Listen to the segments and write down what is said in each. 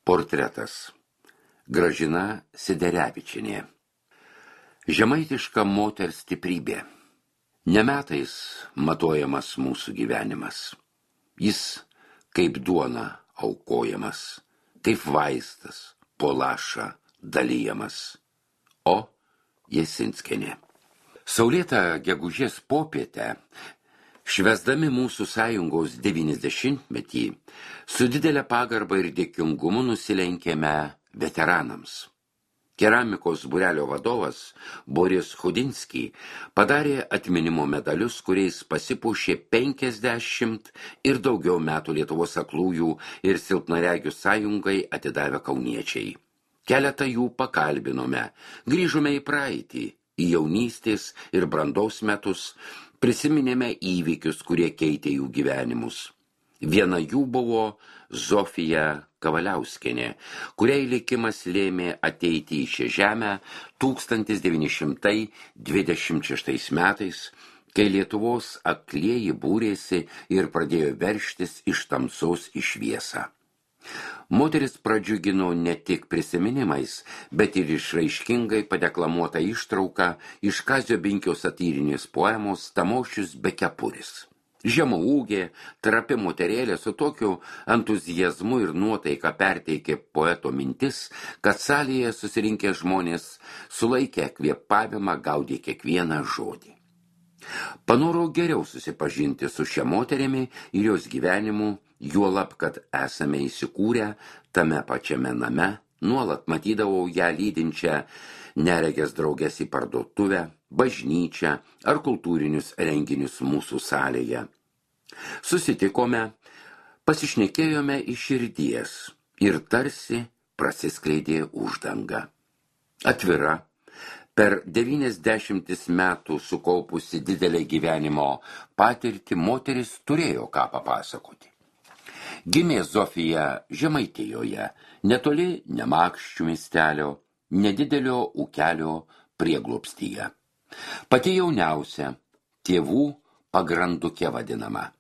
Portretas. Gražina Siderevičienė. Žemaitiška moters stiprybė. Ne metais matuojamas mūsų gyvenimas. Jis kaip duona aukojamas, kaip vaistas po lašą dalyjamas. O Jasinskienė. Saulėtą gegužės popietę, švęsdami mūsų sąjungos 90-metį, su didelė pagarba ir dėkingumu nusilenkėme veteranams. Keramikos būrelio vadovas Boris Chudinski padarė atminimo medalius, kuriais pasipuošė 50 ir daugiau metų Lietuvos aklųjų ir silpnaregių sąjungai atidavę kauniečiai. Keletą jų pakalbinome, grįžome į praeitį, į jaunystės ir brandaus metus, prisiminėme įvykius, kurie keitė jų gyvenimus. Viena jų buvo Zofija Kavaliauskienė, kuriai likimas lėmė ateiti į šią žemę 1926 metais, kai Lietuvos aklieji būrėsi ir pradėjo veržtis iš tamsos į šviesą. Moteris pradžiugino ne tik prisiminimais, bet ir išraiškingai padeklamuota ištrauka iš Kazio Binkio satyrinės poemos Tamošius be kepuris. Žemaūgė, trapi moterėlė su tokiu entuziazmu ir nuotaika perteikė poeto mintis, kad salėje susirinkę žmonės sulaikė kvėpavimą, gaudė kiekvieną žodį. Panorau geriau susipažinti su šia moterimi ir jos gyvenimu, juolab, kad esame įsikūrę tame pačiame name, nuolat matydavau ją lydinčią neregės draugės į parduotuvę, bažnyčią ar kultūrinius renginius mūsų salėje. Susitikome, pasišnekėjome iš širdies ir tarsi prasiskleidė uždanga. Atvira, per 90 metų sukaupusi didelę gyvenimo patirtį, moteris turėjo ką papasakoti. Gimė Zofija Žemaitijoje, netoli Nemakščių miestelio, nedidelio ūkelio prieglobstyje. Pati jauniausia, tėvų pagrandukė vadinama.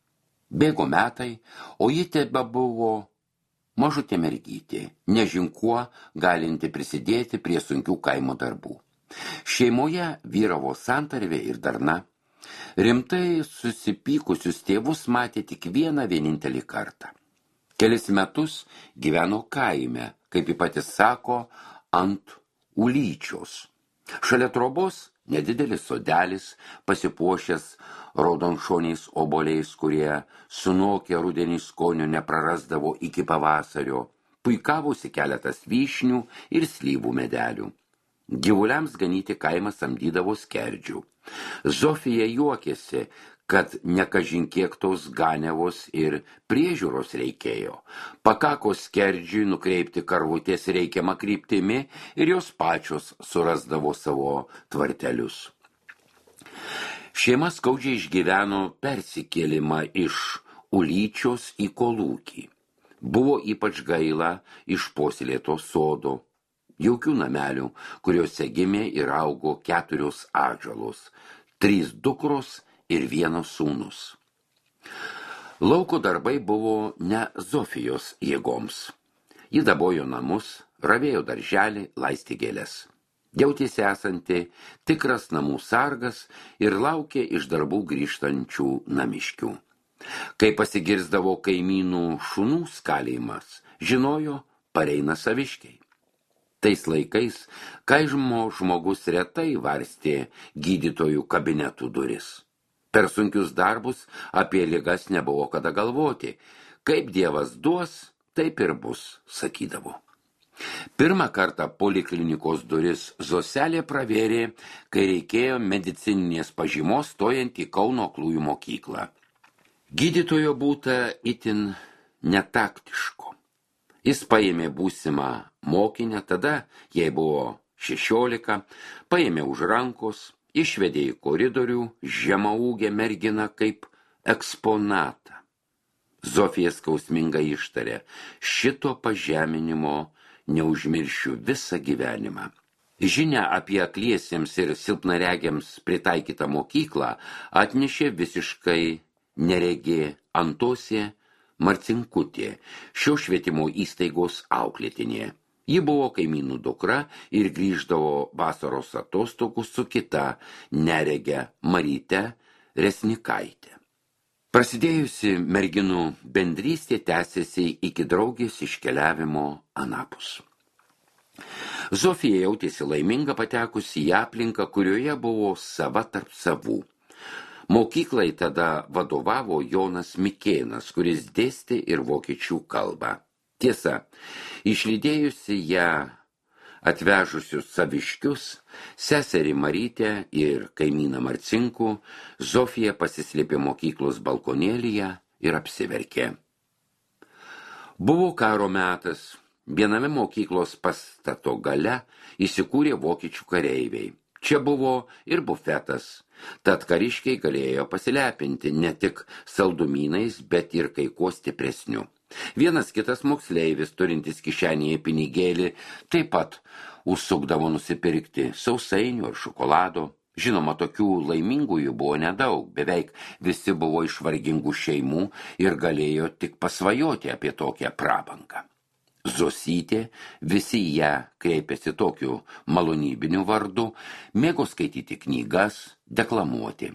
Bėgo metai, o ji tebebuvo mažutė mergytė, nežin kuo galinti prisidėti prie sunkių kaimo darbų. Šeimoje vyravo santarvė ir darna. Rimtai susipykusius tėvus matė tik vienintelį kartą. Kelis metus gyveno kaime, kaip ji pati sako, ant Ulyčios. Šalia trobos nedidelis sodelis, pasipuošęs raudonšoniais obuoliais, kurie sunokę rudenį skonio neprarasdavo iki pavasario, puikavosi keletas vyšnių ir slyvų medelių. Gyvuliams ganyti kaimą samdydavo skerdžių. Zofija juokėsi, kad nekažin kiek tos ganiavos ir priežiūros reikėjo. Pakako skerdžiui nukreipti karvutės reikiamą kryptimi ir jos pačios surasdavo savo tvartelius. Šeima skaudžiai išgyveno persikėlimą iš Ulyčios į Kolūkį. Buvo ypač gaila išpuoselėto sodo, jaukių namelių, kuriuose gimė ir augo 4 atžalos, 3 dukros ir 1 sūnus. Lauko darbai buvo ne Zofijos jėgoms. Ji dabojo namus, ravėjo darželį, laistė gėles. Jautėsi esanti tikras namų sargas ir laukė iš darbų grįžtančių namiškių. Kai pasigirsdavo kaimynų šunų skalėjimas, žinojo, pareina saviškiai. Tais laikais kaimo žmogus retai varstė gydytojų kabinetų duris. Per sunkius darbus apie ligas nebuvo kada galvoti. Kaip Dievas duos, taip ir bus, sakydavo. Pirmą kartą poliklinikos duris Zoselė pravėrė, kai reikėjo medicininės pažymos stojant į Kauno aklųjų mokyklą. Gydytojo būta itin netaktiško. Jis paėmė būsimą mokinę, tada jai buvo 16, paėmė už rankos, išvedė į koridorių žemaūgę merginą kaip eksponatą. Zofija skausmingai ištarė, šito pažeminimo neužmiršiu visą gyvenimą. Žinia apie akliesiems ir silpnaregiams pritaikytą mokyklą atnešė visiškai neregė Antosė Marcinkutė, šio švietimo įstaigos auklėtinė. Ji buvo kaimynų dukra ir grįždavo vasaros atostogų su kita nerege Maryte Resnikaitė. Prasidėjusi merginų bendrystė tęsėsi iki draugės iškeliavimo anapus. Zofija jautėsi laiminga patekusi į aplinką, kurioje buvo sava tarp savų. Mokyklai tada vadovavo Jonas Mikėnas, kuris dėstė ir vokiečių kalbą. Tiesa, išlydėjusi ją atvežusius saviškius, seserį Marytę ir kaimyną Marcinkų, Zofija pasislėpė mokyklos balkonėlyje ir apsiverkė. Buvo karo metas. Viename mokyklos pastato gale įsikūrė vokiečių kareiviai. Čia buvo ir bufetas, tad kariškiai galėjo pasilepinti ne tik saldumynais, bet ir kai kuo stipresniu. Vienas kitas moksleivis, turintis kišenėje pinigėlį, taip pat užsukdavo nusipirkti sausainių ar šokolado. Žinoma, tokių laimingųjų buvo nedaug, beveik visi buvo iš vargingų šeimų ir galėjo tik pasvajoti apie tokią prabangą. Zosytė, visi ją kreipėsi tokiu malonybiniu vardu, mėgo skaityti knygas, deklamuoti.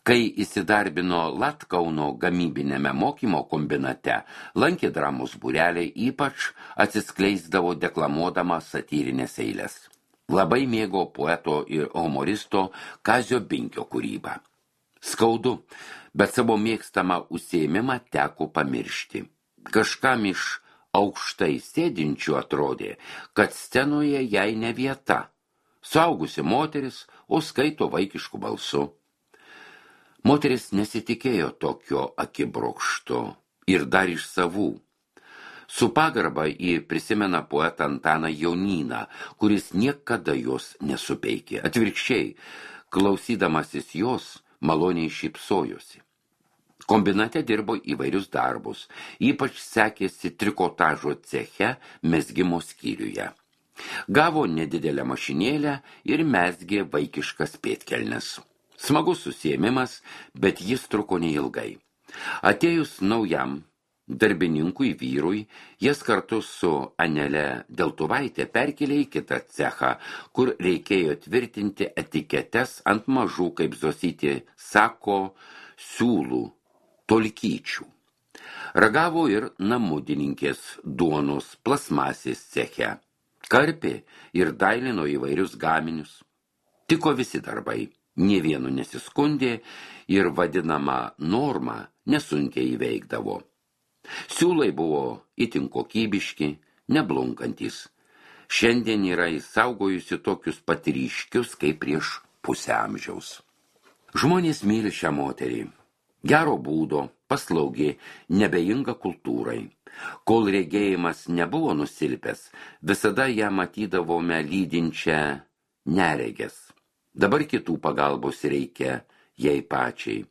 Kai įsidarbino Latkauno gamybinėme mokymo kombinate, lankė dramos būreliai, ypač atsiskleisdavo deklamuodama satyrinės eiles. Labai mėgo poeto ir humoristo Kazio Binkio kūrybą. Skaudu, bet savo mėgstamą užsiėmimą teko pamiršti. Kažkam iš aukštai sėdinčių atrodė, kad scenoje jai ne vieta. Suaugusi moteris, o skaito vaikišku balsu. Moteris nesitikėjo tokio akibrokšto ir dar iš savų. Su pagarba ji prisimena poetą Antaną Jonyną, kuris niekada jos nesupeikė. Atvirkščiai, klausydamasis jos, maloniai šypsojosi. Kombinate dirbo įvairius darbus, ypač sekėsi trikotažo ceche mezgimo skyriuje. Gavo nedidelę mašinėlę ir mezgė vaikiškas pėdkelnes. Smagus užsiėmimas, bet jis truko neilgai. Atėjus naujam darbininkui vyrui, jas kartu su Anele Deltuvaitė perkelė į kitą cechą, kur reikėjo tvirtinti etiketes ant mažų, kaip Zosytė sako, siūlų, tolkyčių. Ragavo ir namudininkės duonos plasmasės ceche. Karpė ir dailino įvairius gaminius. Tiko visi darbai, nė vienu nesiskundė ir vadinama norma nesunkiai įveikdavo. Siūlai buvo itin kokybiški, neblunkantis. Šiandien yra įsaugojusi tokius pat ryškius kaip prieš pusę amžiaus. Žmonės myli šią moterį. Gero būdo, paslaugė, nebejinga kultūrai. Kol regėjimas nebuvo nusilpęs, visada ją matydavome lydinčią neregės. Dabar kitų pagalbos reikia jai pačiai.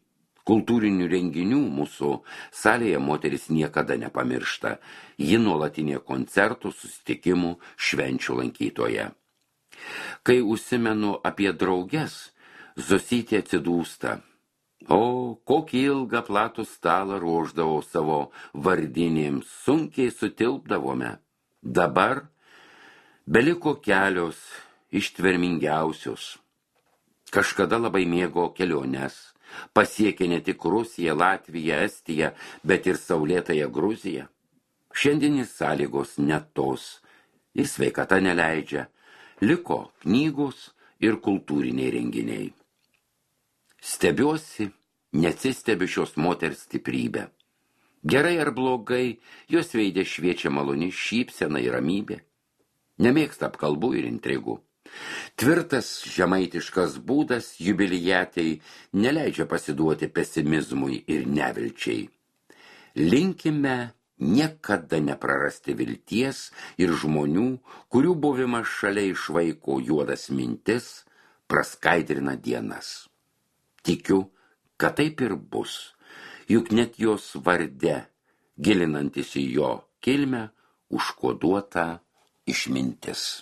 Kultūrinių renginių mūsų salėje moteris niekada nepamiršta. Ji nuolatinė koncertų, susitikimų, švenčių lankytoja. Kai užsimenu apie drauges, Zosytė atsidūsta. O, kokį ilgą platų stalą ruošdavau savo vardinėms, sunkiai sutilpdavome. Dabar beliko kelios ištvermingiausios. Kažkada labai mėgo keliones, pasiekė ne tik Rusiją, Latviją, Estiją, bet ir saulėtąją Gruziją. Šiandienis sąlygos net tos ir sveikata neleidžia, liko knygos ir kultūriniai renginiai. Stebiuosi, neatsistebiu šios moters stiprybę. Gerai ar blogai, jos veide šviečia maloni šypsena ir ramybė. Nemėgsta apkalbų ir intrigų. Tvirtas žemaitiškas būdas jubiliatei neleidžia pasiduoti pesimizmui ir nevilčiai. Linkime niekada neprarasti vilties ir žmonių, kurių buvimas šalia išvaiko juodas mintis, praskaidrina dienas. Tikiu, kad taip ir bus, juk net jos varde, gilinantis į jo kilmę, užkoduota išmintis.